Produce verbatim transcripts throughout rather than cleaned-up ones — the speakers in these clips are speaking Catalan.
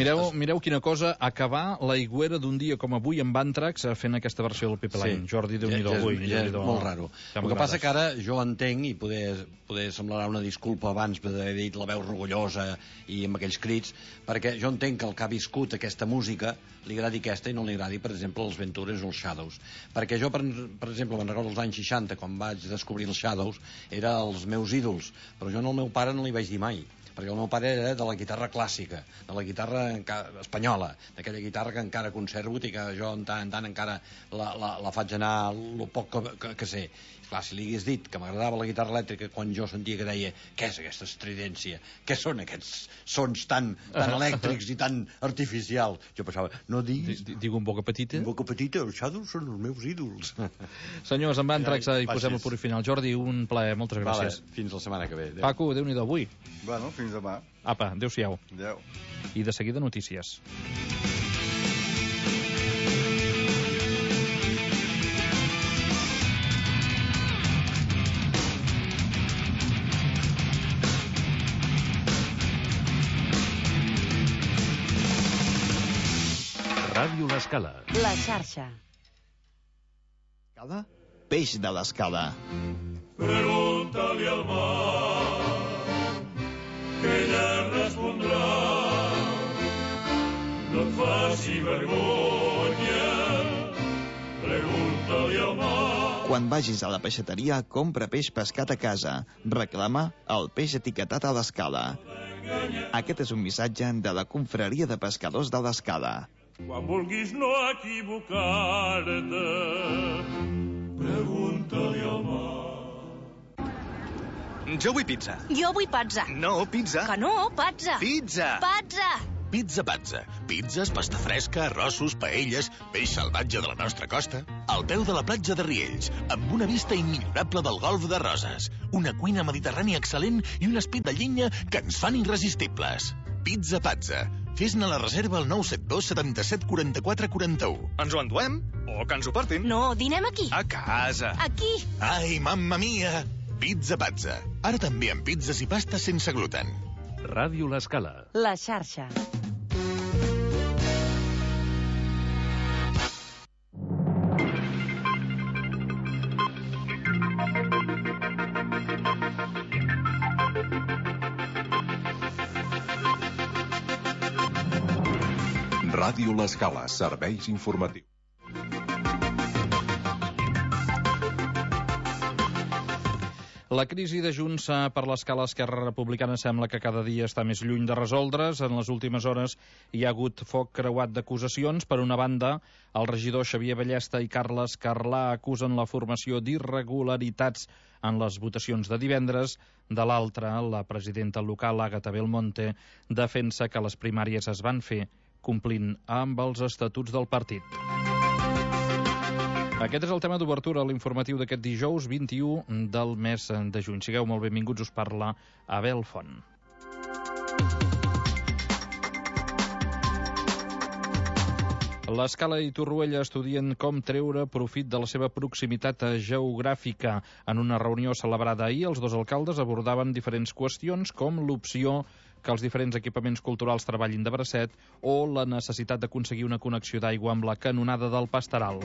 Mireu, mireu quina cosa, acabar l'aigüera d'un dia com avui amb Antrax fent aquesta versió del Pipe Line. Sí. Jordi, Déu-n'hi-do avui. Ja és molt raro. El que passa que ara jo entenc, i poder, poder semblarà una disculpa abans d'haver dit la veu rugollosa i amb aquells crits, perquè jo entenc que el que ha viscut aquesta música li agradi aquesta i no li agradi, per exemple, els Ventures o els Shadows. Perquè jo, per, per exemple, me'n recordo els anys seixanta, quan vaig descobrir els Shadows, eren els meus ídols, però jo al meu pare no li vaig dir mai, perquè el meu pare era de la guitarra clàssica, de la guitarra espanyola, d'aquella guitarra que encara conservo i que jo en tant en tant encara la, la, la faig anar el poc que, que, que sé. Clar, si li hagués dit que m'agradava la guitarra elèctrica quan jo sentia que deia què és aquesta estridència, què són aquests sons tan, tan elèctrics i tan artificials, jo pensava, no diguis... Digo un boca petita? Un boca petita, els Shadows són els meus ídols. Senyors, amb Antrax hi posem el punt final. Jordi, un plaer, moltes gràcies. Vale, fins la setmana que ve. Adéu. Paco, Déu-n'hi-do avui. Bueno, fins demà. Apa, adéu-siau. Adéu. I de seguida notícies. Ràdio L'Escala. La xarxa. Escala? Peix de l'escala. Pregunta-li al mar, que ella respondrà. No et faci vergonya, pregunta-li al mar. Quan vagis a la peixateria, compra peix pescat a casa. Reclama el peix etiquetat a l'Escala. Aquest és un missatge de la confraria de pescadors de l'Escala. Quan vulguis no equivocar-te, pregunta-li al mar. Jo vull pizza. Jo vull pizza. No, pizza. Que no, pizza. Pizza. Pizza. Pizza Pazza. Pizzas, pasta fresca, arrossos, paelles, peix salvatge de la nostra costa. Al peu de la platja de Riells, amb una vista immillorable del golf de Roses. Una cuina mediterrània excel·lent i un espit de llenya que ens fan irresistibles. Pizza Pazza. Fes-ne la reserva al nou set dos setanta-set quaranta-quatre quaranta-u. Ens ho enduem? O que ens ho portin? No, dinem aquí. A casa. Aquí. Ai, mamma mia! Pizza Pazza. Ara també amb pizzas i pastes sense gluten. Ràdio L'Escala. La xarxa. Ràdio L'Escala, serveis informatius. La crisi de Junts per l'Escala Esquerra Republicana sembla que cada dia està més lluny de resoldre's. En les últimes hores hi ha hagut foc creuat d'acusacions. Per una banda, el regidor Xavier Ballesta i Carles Carlà acusen la formació d'irregularitats en les votacions de divendres. De l'altra, la presidenta local, Àgata Belmonte, defensa que les primàries es van fer complint amb els estatuts del partit. Aquest és el tema d'obertura a l'informatiu d'aquest dijous vint-i-u del mes de juny. Sigueu molt benvinguts, us parla Abel Font. L'Escala i Torroella estudien com treure profit de la seva proximitat geogràfica. En una reunió celebrada ahir, els dos alcaldes abordaven diferents qüestions com l'opció que els diferents equipaments culturals treballin de bracet o la necessitat d'aconseguir una connexió d'aigua amb la canonada del Pasteral.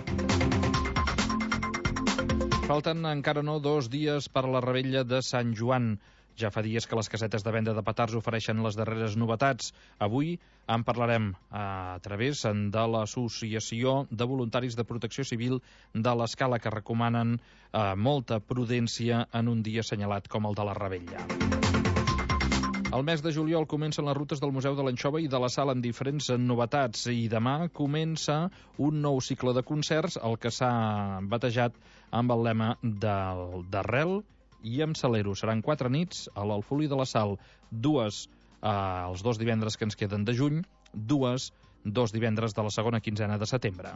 Falten encara no dos dies per a la revetlla de Sant Joan. Ja fa dies que les casetes de venda de petards ofereixen les darreres novetats. Avui en parlarem a través de l'Associació de Voluntaris de Protecció Civil de l'Escala, que recomanen eh, molta prudència en un dia assenyalat com el de la revetlla. El mes de juliol comencen les rutes del Museu de l'Anxova i de la Sal amb diferents novetats i demà comença un nou cicle de concerts, el que s'ha batejat amb el lema del d'Arrel i amb Salero. Seran quatre nits a l'Alfolí de la Sal, dues eh, els dos divendres que ens queden de juny, dues dos divendres de la segona quinzena de setembre.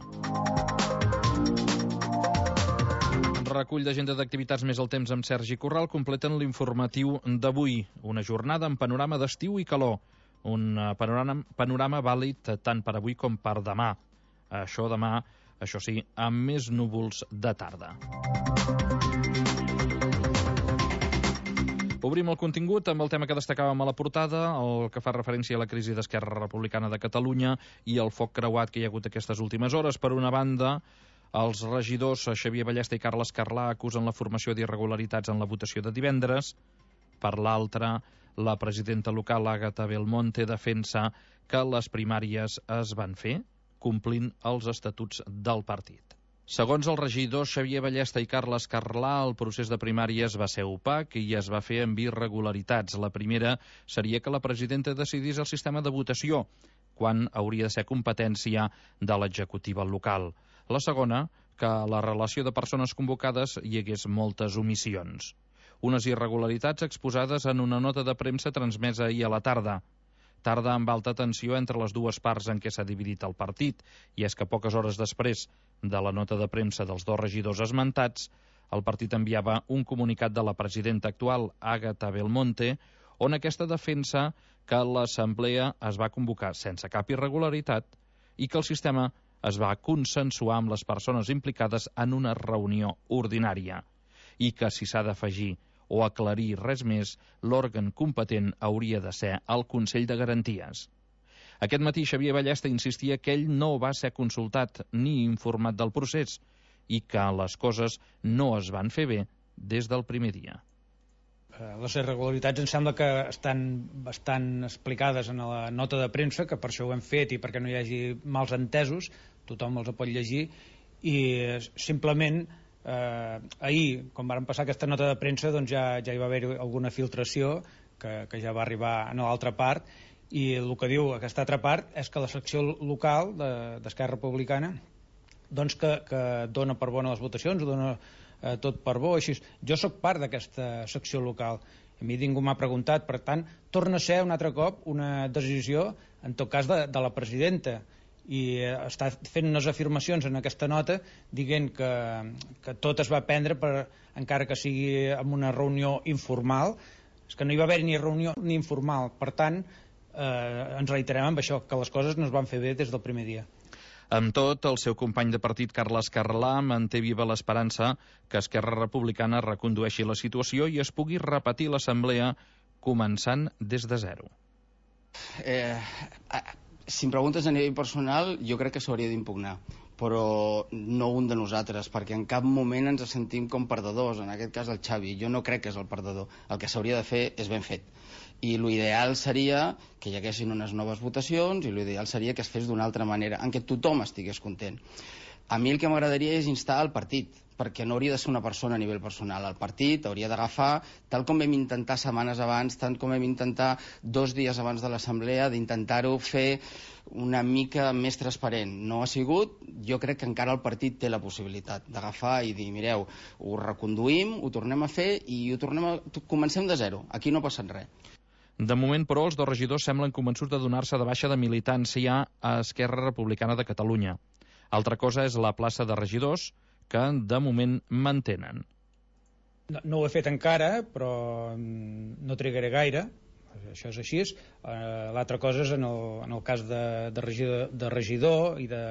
Recull d'agenda d'activitats més el temps amb Sergi Corral completen l'informatiu d'avui. Una jornada amb panorama d'estiu i calor. Un panorama, panorama vàlid tant per avui com per demà. Això demà, això sí, amb més núvols de tarda. Obrim el contingut amb el tema que destacàvem a la portada, el que fa referència a la crisi d'Esquerra Republicana de Catalunya i el foc creuat que hi ha hagut aquestes últimes hores. Per una banda, els regidors Xavier Ballesta i Carles Carlà acusen la formació d'irregularitats en la votació de divendres. Per l'altra, la presidenta local, Àgata Belmonte, defensa que les primàries es van fer complint els estatuts del partit. Segons els regidors Xavier Ballesta i Carles Carlà, el procés de primàries va ser opac i es va fer amb irregularitats. La primera seria que la presidenta decidís el sistema de votació, quan hauria de ser competència de l'executiva local. La segona, que a la relació de persones convocades hi hagués moltes omissions. Unes irregularitats exposades en una nota de premsa transmesa ahir a la tarda. Tarda amb alta tensió entre les dues parts en què s'ha dividit el partit, i és que poques hores després de la nota de premsa dels dos regidors esmentats, el partit enviava un comunicat de la presidenta actual, Àgata Belmonte, on aquesta defensa que l'assemblea es va convocar sense cap irregularitat i que el sistema es va consensuar amb les persones implicades en una reunió ordinària, i que si s'ha d'afegir o aclarir res més, l'òrgan competent hauria de ser el Consell de Garanties. Aquest matí Xavier Ballesta insistia que ell no va ser consultat ni informat del procés i que les coses no es van fer bé des del primer dia. Les irregularitats em sembla que estan bastant explicades en la nota de premsa, que per això ho hem fet i perquè no hi hagi mals entesos, tothom els pot llegir, i simplement Eh, ahir, quan varen passar aquesta nota de premsa, doncs ja, ja hi va haver alguna filtració que, que ja va arribar a l'altra part, i el que diu aquesta altra part és que la secció local d'Esquerra Republicana doncs que, que dona per bona les votacions, dona eh, tot per bo, així. Jo sóc part d'aquesta secció local, a mi ningú m'ha preguntat, per tant torna a ser un altre cop una decisió, en tot cas de, de la presidenta, i està fent unes afirmacions en aquesta nota dient que, que tot es va prendre per, encara que sigui en una reunió informal. És que no hi va haver ni reunió ni informal, per tant eh, ens reiterem amb això, que les coses no es van fer bé des del primer dia. Amb tot, el seu company de partit Carles Carlà manté viva l'esperança que Esquerra Republicana recondueixi la situació i es pugui repetir l'assemblea començant des de zero. Eh... Si em preguntes a nivell personal, jo crec que s'hauria d'impugnar, però no un de nosaltres, perquè en cap moment ens sentim com perdedors, en aquest cas el Xavi. Jo no crec que és el perdedor. El que s'hauria de fer és ben fet. I l'ideal seria que hi haguessin unes noves votacions i l'ideal seria que es fes d'una altra manera, en què tothom estigués content. A mi el que m'agradaria és instar el partit, perquè no hauria de ser una persona a nivell personal. El partit hauria d'agafar, tal com vam intentar setmanes abans, tant com vam intentar dos dies abans de l'assemblea, d'intentar-ho fer una mica més transparent. No ha sigut. Jo crec que encara el partit té la possibilitat d'agafar i dir, mireu, ho reconduïm, ho tornem a fer i ho tornem a... comencem de zero. Aquí no ha passat res. De moment, però, els dos regidors semblen convençuts de donar-se de baixa de militància a Esquerra Republicana de Catalunya. Altra cosa és la plaça de regidors, que de moment mantenen. No, no ho he fet encara, però no trigaré gaire, això és així. Uh, L'altra cosa és en el, en el cas de, de, regidor, de regidor i de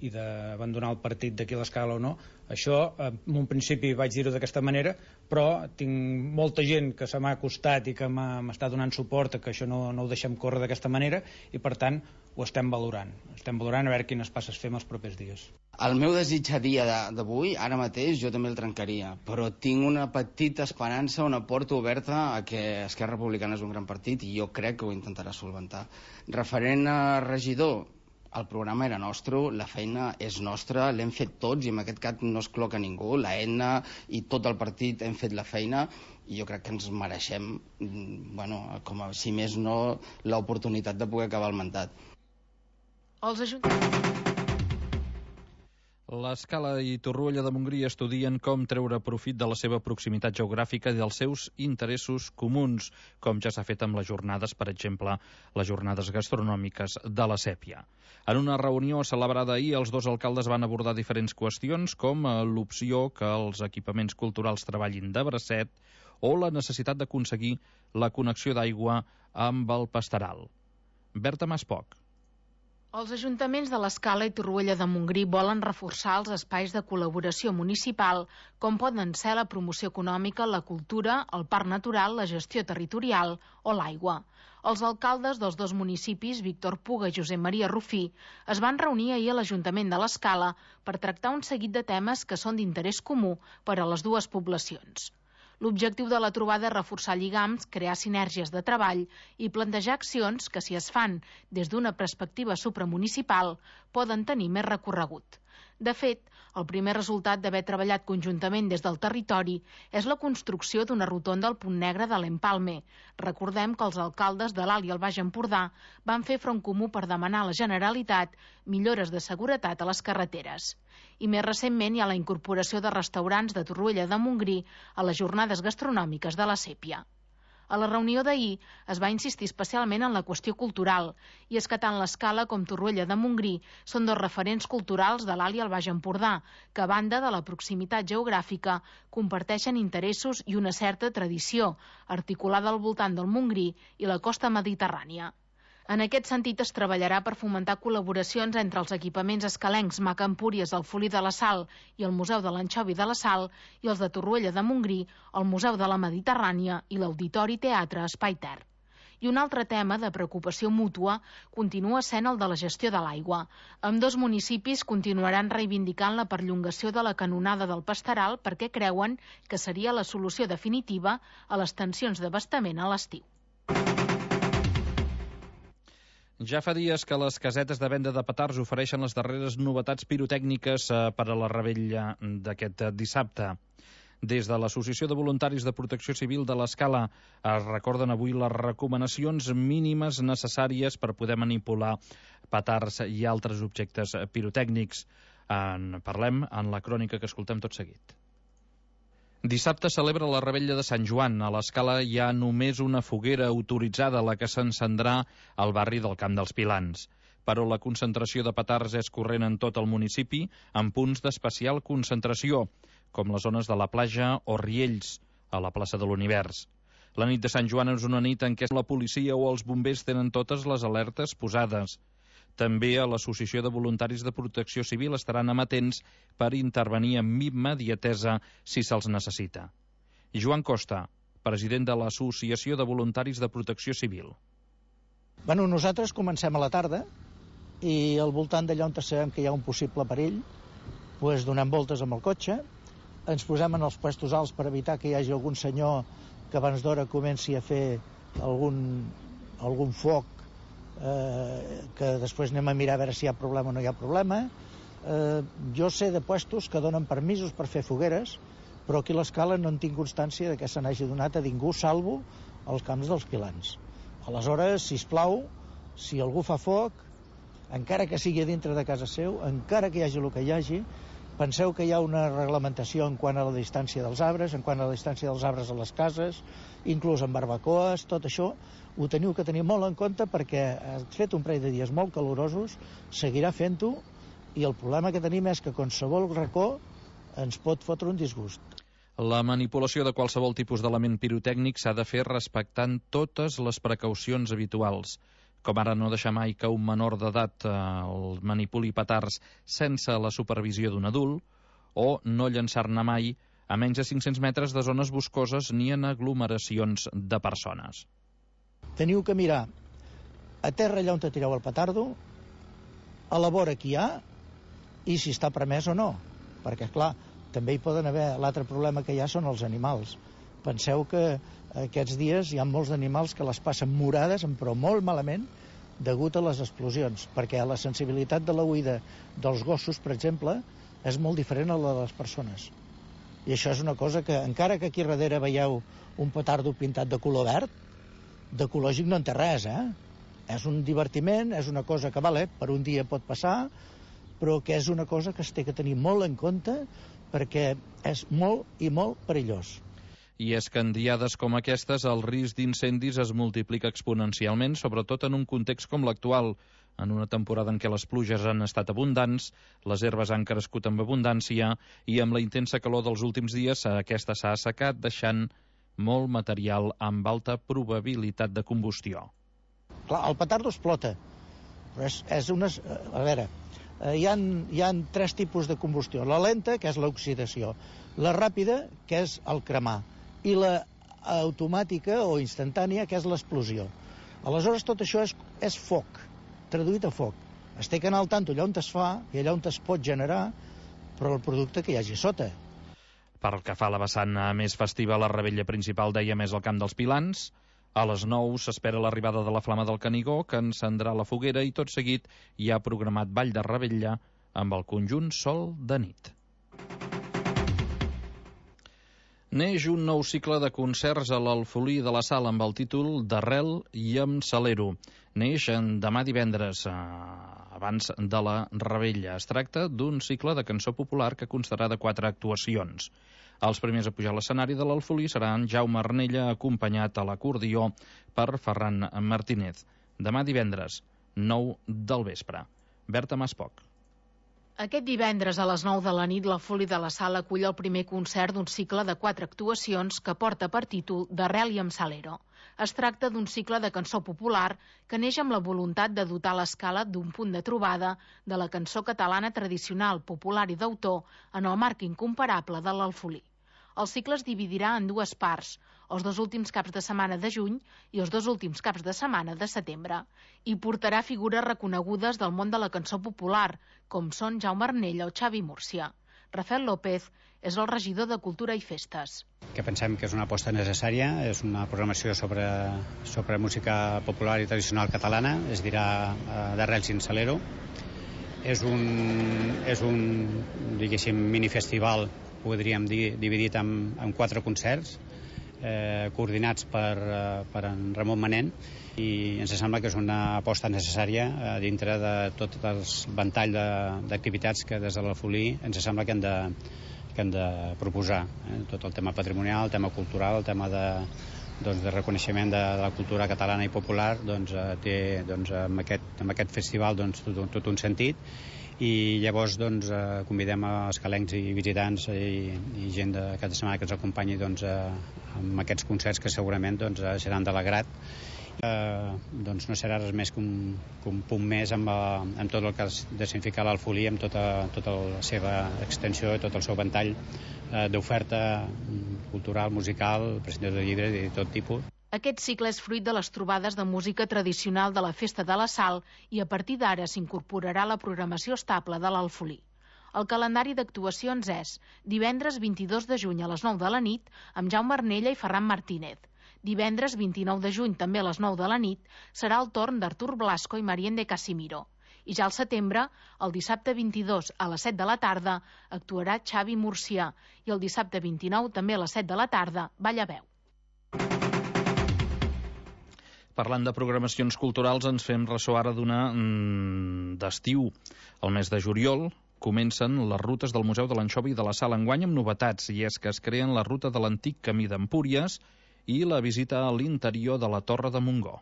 i d'abandonar el partit d'aquí a l'Escala o no. Això, en un principi vaig dir-ho d'aquesta manera, però tinc molta gent que se m'ha acostat i que m'està donant suport a que això no, no ho deixem córrer d'aquesta manera i, per tant, ho estem valorant. Estem valorant a veure quines passes fem els propers dies. El meu desig a dia d'avui, ara mateix, jo també el trencaria, però tinc una petita esperança, una porta oberta a que Esquerra Republicana és un gran partit i jo crec que ho intentarà solventar. Referent a regidor, el programa era nostre, la feina és nostra, l'hem fet tots i en aquest cas no es cloca ningú, la E N A i tot el partit hem fet la feina i jo crec que ens mereixem, bueno, com a, si més no, l'oportunitat de poder acabar el mandat. Els ajuntaments... L'Escala i Torroella de Montgrí estudien com treure profit de la seva proximitat geogràfica i dels seus interessos comuns, com ja s'ha fet amb les jornades, per exemple, les jornades gastronòmiques de la Sèpia. En una reunió celebrada ahir, els dos alcaldes van abordar diferents qüestions, com l'opció que els equipaments culturals treballin de bracet o la necessitat d'aconseguir la connexió d'aigua amb el Pasteral. Berta Maspoc. Els ajuntaments de l'Escala i Torroella de Montgrí volen reforçar els espais de col·laboració municipal, com poden ser la promoció econòmica, la cultura, el parc natural, la gestió territorial o l'aigua. Els alcaldes dels dos municipis, Víctor Puga i Josep Maria Rufí, es van reunir ahir a l'Ajuntament de l'Escala per tractar un seguit de temes que són d'interès comú per a les dues poblacions. L'objectiu de la trobada és reforçar lligams, crear sinergies de treball i plantejar accions que, si es fan des d'una perspectiva supramunicipal, poden tenir més recorregut. De fet, el primer resultat d'haver treballat conjuntament des del territori és la construcció d'una rotonda al Punt Negre de l'Empalme. Recordem que els alcaldes de l'Alt i el Baix Empordà van fer front comú per demanar a la Generalitat millores de seguretat a les carreteres. I més recentment hi ha la incorporació de restaurants de Torroella de Montgrí a les jornades gastronòmiques de la Sèpia. A la reunió d'ahir es va insistir especialment en la qüestió cultural, i és que tant l'Escala com Torroella de Montgrí són dos referents culturals de l'Alt i el Baix Empordà, que a banda de la proximitat geogràfica comparteixen interessos i una certa tradició, articulada al voltant del Montgrí i la costa mediterrània. En aquest sentit, es treballarà per fomentar col·laboracions entre els equipaments escalencs Maca Empúries, el Folí de la Sal i el Museu de l'Anxovi de la Sal i els de Torroella de Montgrí, el Museu de la Mediterrània i l'Auditori Teatre Espai Ter. I un altre tema de preocupació mútua continua sent el de la gestió de l'aigua. Ambdós municipis continuaran reivindicant la perllongació de la canonada del Pasteral perquè creuen que seria la solució definitiva a les tensions d'abastament a l'estiu. Ja fa dies que les casetes de venda de petards ofereixen les darreres novetats pirotècniques per a la revetlla d'aquest dissabte. Des de l'Associació de Voluntaris de Protecció Civil de l'Escala es recorden avui les recomanacions mínimes necessàries per poder manipular petards i altres objectes pirotècnics. En parlem en la crònica que escoltem tot seguit. Dissabte celebra la revetlla de Sant Joan. A l'Escala hi ha només una foguera autoritzada, la que s'encendrà al barri del Camp dels Pilans. Però la concentració de petards és corrent en tot el municipi, amb punts d'especial concentració, com les zones de la platja o Riells, a la plaça de l'Univers. La nit de Sant Joan és una nit en què la policia o els bombers tenen totes les alertes posades. També a l'Associació de Voluntaris de Protecció Civil estaran amatents per intervenir amb immediatesa si se'ls necessita. Joan Costa, president de l'Associació de Voluntaris de Protecció Civil. Bueno, nosaltres comencem a la tarda i al voltant d'allà on sabem que hi ha un possible perill, doncs donem voltes amb el cotxe, ens posem en els puestos alts per evitar que hi hagi algun senyor que abans d'hora comenci a fer algun, algun foc, eh, que després anem a mirar a veure si hi ha problema o no hi ha problema. Eh, jo sé de puestos que donen permisos per fer fogueres, però aquí a l'Escala no en tinc constància de que se n'hagi donat a ningú, salvo als camps dels Pilans. Aleshores, sisplau, si algú fa foc, encara que sigui dintre de casa seu, encara que hi hagi el que hi hagi, penseu que hi ha una reglamentació en quant a la distància dels arbres, en quant a la distància dels arbres a les cases, inclús en barbacoes, tot això ho teniu que tenir molt en compte perquè has fet un parell de dies molt calorosos, seguirà fent-ho, i el problema que tenim és que qualsevol racó ens pot fotre un disgust. La manipulació de qualsevol tipus d'element pirotècnic s'ha de fer respectant totes les precaucions habituals, com ara no deixar mai que un menor d'edat eh, el manipuli petards sense la supervisió d'un adult, o no llançar-ne mai a menys de cinc-cents metres de zones boscoses ni en aglomeracions de persones. Teniu que mirar a terra allà on te tireu el petardo, a la vora que hi ha, i si està permès o no, perquè, clar, també hi poden haver... L'altre problema que hi ha són els animals. Penseu que aquests dies hi ha molts animals que les passen morades, però molt malament, degut a les explosions, perquè la sensibilitat de l'oïda dels gossos, per exemple, és molt diferent a la de les persones. I això és una cosa que, encara que aquí darrere veieu un petardo pintat de color verd, d'ecològic no en té res, eh? És un divertiment, és una cosa que, vale, per un dia pot passar, però que és una cosa que es té que tenir molt en compte perquè és molt i molt perillós. I és que en diades com aquestes el risc d'incendis es multiplica exponencialment, sobretot en un context com l'actual, en una temporada en què les pluges han estat abundants, les herbes han crescut amb abundància i amb la intensa calor dels últims dies aquesta s'ha assecat, deixant molt material amb alta probabilitat de combustió. Clar, el petardo explota, Però és, és unes... A veure, hi ha, hi ha tres tipus de combustió. La lenta, que és l'oxidació, la ràpida, que és el cremar, i la automàtica o instantània, que és l'explosió. Aleshores, tot això és, és foc, traduït a foc. Es té que anar al tanto allà on es fa i allà on es pot generar, però el producte que hi hagi sota. Per que fa la vessant més festiva, la revetlla principal, deia, més al Camp dels Pilans. A les nou s'espera l'arribada de la Flama del Canigó, que encendrà la foguera, i tot seguit hi ha programat ball de revetlla amb el conjunt Sol de nit. Neix un nou cicle de concerts a l'Alfolí de la Sal amb el títol d'Arrel i amb Salero. Neix demà divendres, abans de la revetlla. Es tracta d'un cicle de cançó popular que constarà de quatre actuacions. Els primers a pujar a l'escenari de l'Alfolí seran Jaume Arnella, acompanyat a l'acordió per Ferran Martínez. Demà divendres, nou del vespre. Berta Maspoc. Aquest divendres a les nou de la nit, l'Alfolí de la Sal acull el primer concert d'un cicle de quatre actuacions que porta per títol d'Arrel i amb Salero. Es tracta d'un cicle de cançó popular que neix amb la voluntat de dotar l'escala d'un punt de trobada de la cançó catalana tradicional, popular i d'autor en el marc incomparable de l'Alfolí. El cicle es dividirà en dues parts, els dos últims caps de setmana de juny i els dos últims caps de setmana de setembre, i portarà figures reconegudes del món de la cançó popular, com són Jaume Arnella o Xavi Múrcia. Rafael López és el regidor de Cultura i Festes. Que pensem que és una aposta necessària, és una programació sobre, sobre música popular i tradicional catalana, es dirà uh, d'Arrels i Salero. És un, és un, diguéssim, minifestival, podríem dir, dividit en, en quatre concerts, eh, coordinats per, eh, per en Ramon Manent, i ens sembla que és una aposta necessària eh, dintre de tot el ventall d'activitats que des de l'Alfolí ens sembla que hem de, que hem de proposar. Eh? Tot el tema patrimonial, el tema cultural, el tema de, doncs, de reconeixement de, de la cultura catalana i popular, doncs, eh, té doncs, amb, aquest, amb aquest festival doncs, tot, tot un sentit. I llavors doncs, eh, convidem els calencs i visitants i, i gent de cada setmana que ens acompanyi doncs, eh, amb aquests concerts que segurament doncs, seran de l'agrat. Eh, doncs no serà res més que un, que un punt més amb, amb tot el que de significar l'Alfolí, amb tota, tota la seva extensió i tot el seu ventall eh, d'oferta cultural, musical, presentació de llibres i de tot tipus. Aquest cicle és fruit de les trobades de música tradicional de la Festa de la Sal i a partir d'ara s'incorporarà la programació estable de l'Alfolí. El calendari d'actuacions és divendres vint-i-dos de juny a les nou de la nit amb Jaume Arnella i Ferran Martínez. Divendres vint-i-nou de juny, també a les nou de la nit, serà el torn d'Artur Blasco i Marien de Casimiro. I ja al setembre, el dissabte vint-i-dos a les set de la tarda, actuarà Xavi Múrcia i el dissabte vint-i-nou, també a les set de la tarda, Ballaveu. Parlant de programacions culturals, ens fem ressò ara d'una mm, d'estiu. El mes de juliol comencen les rutes del Museu de l'Anxovi de la Sal enguany amb novetats, i és que es creen la ruta de l'antic camí d'Empúries i la visita a l'interior de la Torre de Montgó.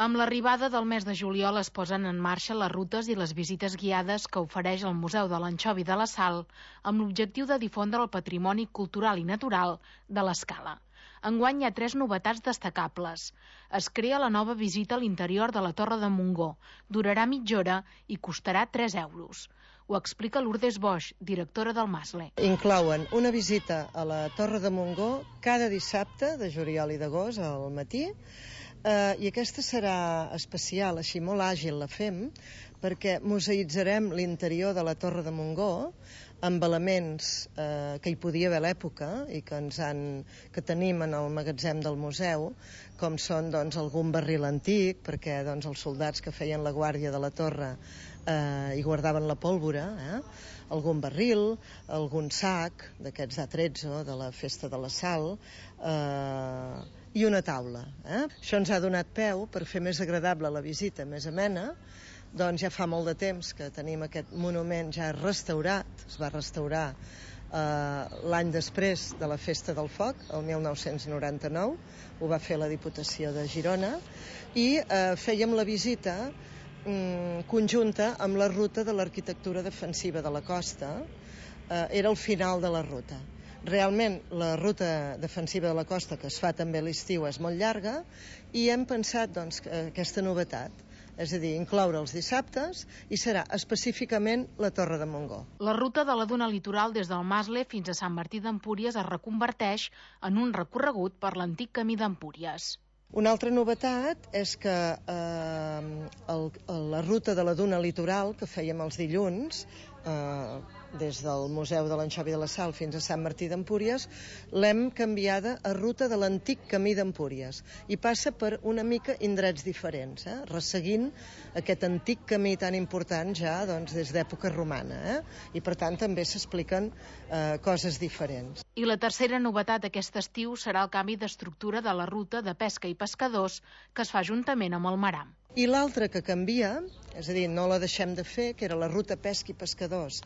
Amb l'arribada del mes de juliol es posen en marxa les rutes i les visites guiades que ofereix el Museu de l'Anxovi de la Sal amb l'objectiu de difondre el patrimoni cultural i natural de l'Escala. Enguany hi ha tres novetats destacables. Es crea la nova visita a l'interior de la Torre de Montgó. Durarà mitja hora i costarà tres euros. Ho explica Lourdes Boix, directora del Masle. Inclouen una visita a la Torre de Montgó cada dissabte de juliol i d'agost al matí, eh, i aquesta serà especial, així molt àgil la fem, perquè museïtzarem l'interior de la Torre de Montgó amb elements eh, que hi podia haver a l'època i que, ens han, que tenim en el magatzem del museu, com són doncs, algun barril antic, perquè doncs, els soldats que feien la guàrdia de la torre eh, hi guardaven la pólvora, eh? algun barril, algun sac d'aquests A tretze de la Festa de la Sal, eh, i una taula. Eh? Això ens ha donat peu per fer més agradable la visita, més amena. Doncs ja fa molt de temps que tenim aquest monument ja restaurat, es va restaurar eh, l'any després de la Festa del Foc, el mil nou-cents noranta-nou, ho va fer la Diputació de Girona, i eh, fèiem la visita mm, conjunta amb la ruta de l'arquitectura defensiva de la costa, eh, era el final de la ruta. Realment, la ruta defensiva de la costa, que es fa també a l'estiu, és molt llarga, i hem pensat doncs, que aquesta novetat, és a dir, incloure els dissabtes, i serà específicament la Torre de Montgó. La ruta de la duna litoral des del Masle fins a Sant Martí d'Empúries es reconverteix en un recorregut per l'antic camí d'Empúries. Una altra novetat és que eh, el, la ruta de la duna litoral que fèiem els dilluns, eh, des del Museu de l'Anxovi de la Sal fins a Sant Martí d'Empúries, l'hem canviada a ruta de l'antic camí d'Empúries i passa per una mica indrets diferents, eh? resseguint aquest antic camí tan important ja doncs, des d'època romana, eh? i per tant també s'expliquen eh, coses diferents. I la tercera novetat aquest estiu serà el canvi d'estructura de la ruta de pesca i pescadors que es fa juntament amb el Maram. I l'altra que canvia, és a dir, no la deixem de fer, que era la ruta pesca i pescadors,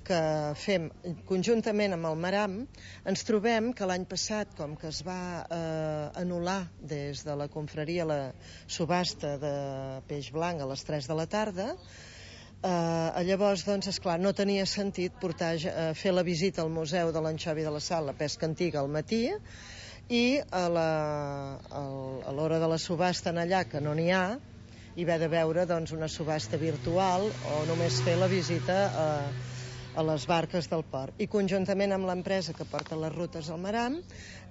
que fem conjuntament amb el Maram, ens trobem que l'any passat, com que es va eh, anul·lar des de la confraria la subhasta de peix blanc a les tres de la tarda, eh, llavors, doncs, esclar, no tenia sentit portar, eh, fer la visita al Museu de l'Anxovi de la Sal, la pesca antiga, al matí, i a l'hora de la subhasta en allà, que no n'hi ha, i haver de veure doncs, una subhasta virtual o només fer la visita a, a les barques del port. I conjuntament amb l'empresa que porta les rutes al Maram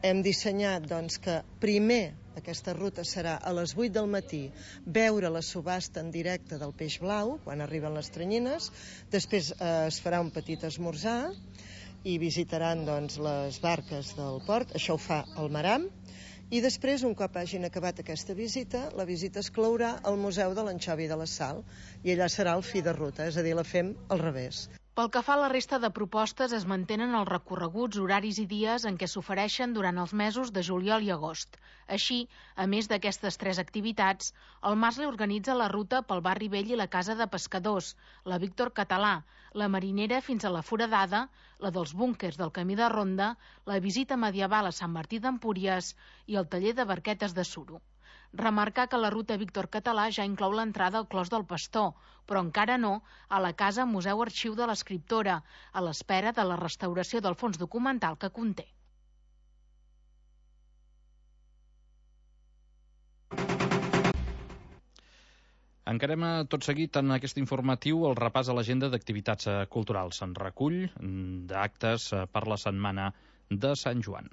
hem dissenyat doncs, que primer aquesta ruta serà a les vuit del matí veure la subhasta en directe del peix blau quan arriben les tranyines, després eh, es farà un petit esmorzar i visitaran doncs, les barques del port, això ho fa el Maram. I després, un cop hagin acabat aquesta visita, la visita es clourà al Museu de l'Anxovi de la Sal i allà serà el fi de ruta, és a dir, la fem al revés. Pel que fa a la resta de propostes, es mantenen els recorreguts, horaris i dies en què s'ofereixen durant els mesos de juliol i agost. Així, a més d'aquestes tres activitats, el Masle organitza la ruta pel barri vell i la casa de pescadors, la Víctor Català, la marinera fins a la Foradada, la dels búnquers del camí de Ronda, la visita medieval a Sant Martí d'Empúries i el taller de barquetes de suro. Remarcar que la ruta Víctor Català ja inclou l'entrada al Clos del Pastor, però encara no a la Casa Museu Arxiu de l'Escriptora, a l'espera de la restauració del fons documental que conté. Encarem tot seguit en aquest informatiu el repàs a l'agenda d'activitats culturals. En recull d'actes per la setmana de Sant Joan.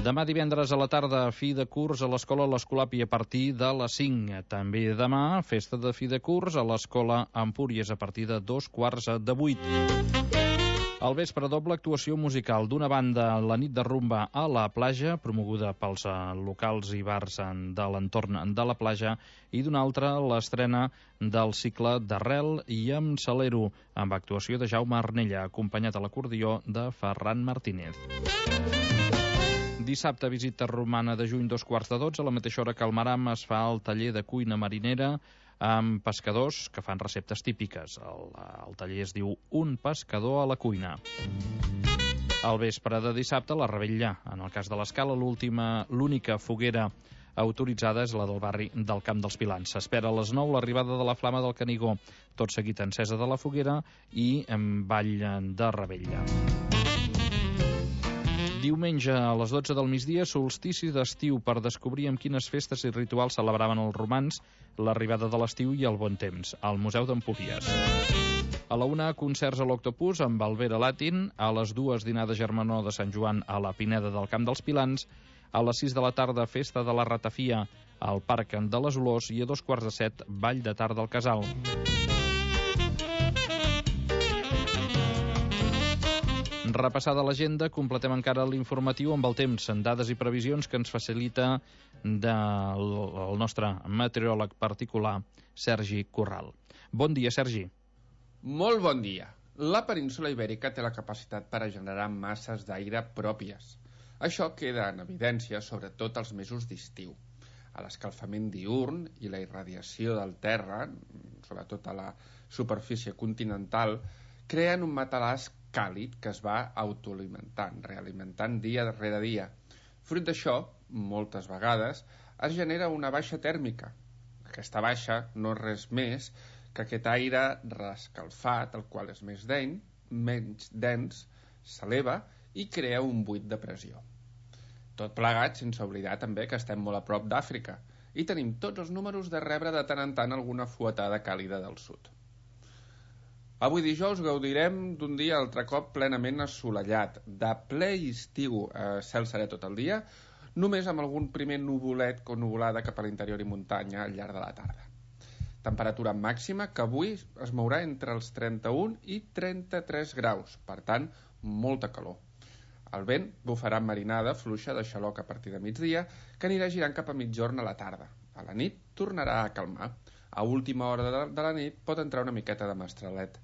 Demà divendres a la tarda, fi de curs a l'Escola l'Escolapi a partir de les cinc. També demà, festa de fi de curs a l'Escola Empúries a partir de dos quarts de vuit. Al vespre, doble actuació musical. D'una banda, la nit de rumba a la platja, promoguda pels locals i bars de l'entorn de la platja, i d'una altra, l'estrena del cicle d'Arrel i amb Salero, amb actuació de Jaume Arnella, acompanyat a l'acordió de Ferran Martínez. Dissabte, visita romana de juny, dos quarts de dotze, a la mateixa hora que al Maram es fa el taller de cuina marinera amb pescadors que fan receptes típiques. El, el taller es diu Un pescador a la cuina. Al vespre de dissabte, la revetlla. En el cas de l'Escala, l'última, l'única foguera autoritzada és la del barri del Camp dels Pilans. S'espera a les nou l'arribada de la Flama del Canigó, tot seguit encesa de la foguera i en ball de revetlla. Diumenge a les dotze del migdia, solstici d'estiu, per descobrir amb quines festes i rituals celebraven els romans l'arribada de l'estiu i el bon temps, al Museu d'Empúries. A la una, concerts a l'Octopus amb Alvera Latin, a les dues, dinar de germanor de Sant Joan a la Pineda del Camp dels Pilans, a les sis de la tarda, festa de la Ratafia al Parc de les Olors i a dos quarts de set, ball de tarda al Casal. Repassada l'agenda, completem encara l'informatiu amb el temps, en dades i previsions que ens facilita del, el nostre meteoròleg particular, Sergi Corral. Bon dia, Sergi. Molt bon dia. La península Ibèrica té la capacitat per a generar masses d'aire pròpies. Això queda en evidència sobretot als mesos d'estiu. A l'escalfament diürn i la irradiació del terra, sobretot a la superfície continental, creen un matalàs càlid que es va autoalimentant, realimentant dia darrere dia. Fruit d'això, moltes vegades, es genera una baixa tèrmica. Aquesta baixa no és res més que aquest aire reescalfat, el qual és més dens, menys dens, s'eleva i crea un buit de pressió. Tot plegat sense oblidar també que estem molt a prop d'Àfrica i tenim tots els números de rebre de tant en tant alguna fuetada càlida del sud. Avui dijous gaudirem d'un dia altre cop plenament assolellat, de ple estiu, eh, cel serè tot el dia, només amb algun primer nuvolet o nuvolada cap a l'interior i muntanya al llarg de la tarda. Temperatura màxima que avui es mourà entre els trenta-un i trenta-tres graus, per tant, molta calor. El vent bufarà amb marinada fluixa de xaloc a partir de migdia, que anirà girant cap a mitjorn a la tarda. A la nit tornarà a calmar. A última hora de, de la nit pot entrar una miqueta de mestralet.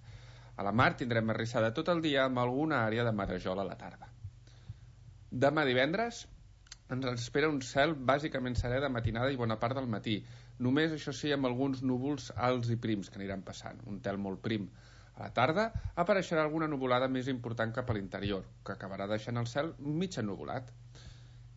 A la mar tindrem arrissada tot el dia amb alguna àrea de marejol a la tarda. Demà divendres ens espera un cel bàsicament serè de matinada i bona part del matí. Només, això sí, amb alguns núvols alts i prims que aniran passant. Un tel molt prim. A la tarda apareixerà alguna nuvolada més important cap a l'interior, que acabarà deixant el cel mig ennuvolat.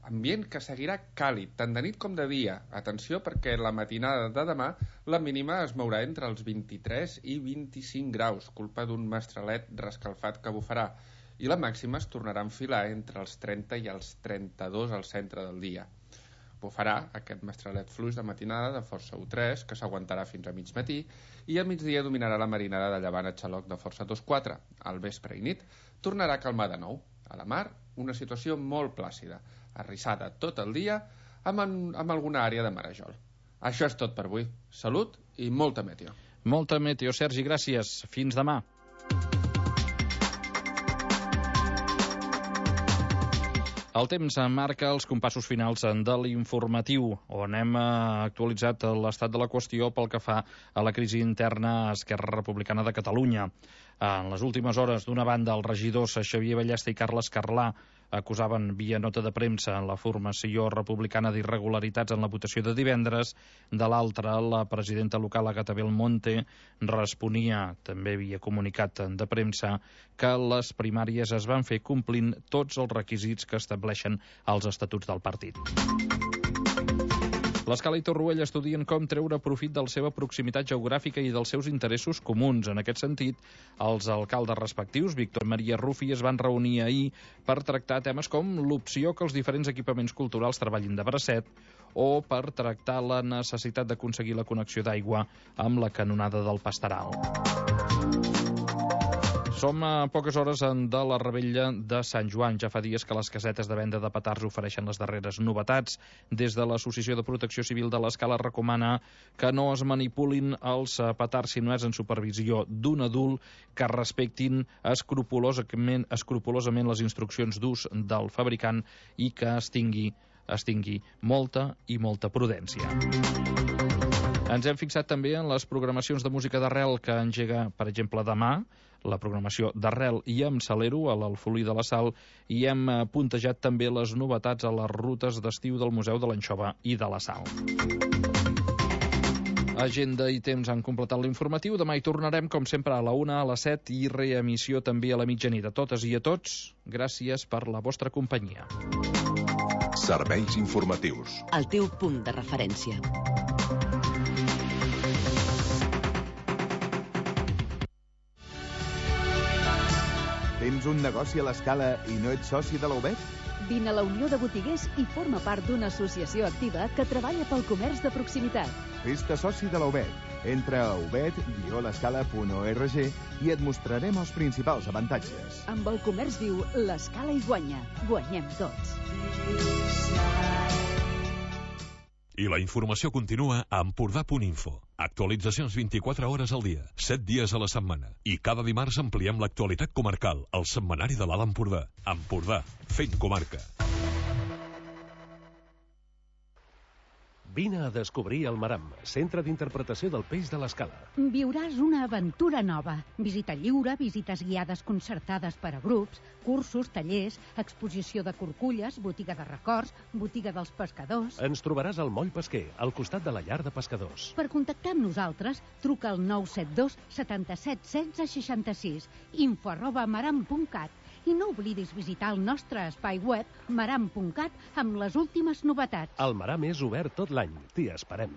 Ambient que seguirà càlid, tant de nit com de dia. Atenció, perquè la matinada de demà la mínima es mourà entre els vint-i-tres i vint-i-cinc graus, culpa d'un mestralet rescalfat que bufarà, i la màxima es tornarà a enfilar entre els trenta i els trenta-dos al centre del dia. Bufarà aquest mestralet fluix de matinada de força u tres, que s'aguantarà fins a mig matí, i al migdia dominarà la marinada de llevant a xaloc de força dos quatre. Al vespre i nit tornarà a calmar de nou. A la mar, una situació molt plàcida, arrissada tot el dia amb, en, amb alguna àrea de marejol. Això és tot per avui. Salut i molta meteo. Molta meteo, Sergi, gràcies. Fins demà. El temps marca els compassos finals de l'informatiu, on hem actualitzat l'estat de la qüestió pel que fa a la crisi interna a Esquerra Republicana de Catalunya. En les últimes hores, d'una banda, els regidors Xavier Ballesta i Carles Carlà acusaven via nota de premsa la formació republicana d'irregularitats en la votació de divendres. De l'altra, la presidenta local Agata Belmonte responia, també via comunicat de premsa, que les primàries es van fer complint tots els requisits que estableixen els estatuts del partit. L'Escala i Torroella estudien com treure profit de la seva proximitat geogràfica i dels seus interessos comuns. En aquest sentit, els alcaldes respectius, Víctor Maria Rufi, es van reunir ahir per tractar temes com l'opció que els diferents equipaments culturals treballin de bracet o per tractar la necessitat d'aconseguir la connexió d'aigua amb la canonada del Pastaral. Som a poques hores de la revetlla de Sant Joan. Ja fa dies que les casetes de venda de petards ofereixen les darreres novetats. Des de l'Associació de Protecció Civil de l'Escala recomana que no es manipulin els petards si no és en supervisió d'un adult, que respectin escrupolosament, escrupolosament les instruccions d'ús del fabricant i que es tingui, es tingui molta i molta prudència. Ens hem fixat també en les programacions de música d'arrel que engega, per exemple, demà, la programació d'arrel i amb Salero a l'Alfolí de la Sal, i hem puntejat també les novetats a les rutes d'estiu del Museu de l'Anxova i de la Sal. Agenda i temps han completat l'informatiu. Demà hi tornarem, com sempre, a la una, a les set i reemissió també a la mitjanit. A totes i a tots, gràcies per la vostra companyia. Serveis informatius. El teu punt de referència. Tens un negoci a l'Escala i no ets soci de la U B E T? Vine a la Unió de Botiguers i forma part d'una associació activa que treballa pel comerç de proximitat. Fes-te soci de la U B E T. Entra a ubet guió l'escala punt org i et mostrarem els principals avantatges. Amb el comerç viu, l'Escala hi guanya. Guanyem tots. I la informació continua a Empordà punt info. Actualitzacions vint-i-quatre hores al dia, set dies a la setmana. I cada dimarts ampliem l'actualitat comarcal, al setmanari de l'Alt Empordà. Empordà, fent comarca. Vine a descobrir el Maram, centre d'interpretació del peix de l'Escala. Viuràs una aventura nova. Visita lliure, visites guiades concertades per a grups, cursos, tallers, exposició de corculles, botiga de records, botiga dels pescadors... Ens trobaràs al Moll Pesquer, al costat de la llar de pescadors. Per contactar amb nosaltres, truca al nou set dos setanta-set setze seixanta-sis, info arroba maram punt cat. I no oblidis visitar el nostre espai web maram punt cat amb les últimes novetats. El Maram és obert tot l'any. T'hi esperem.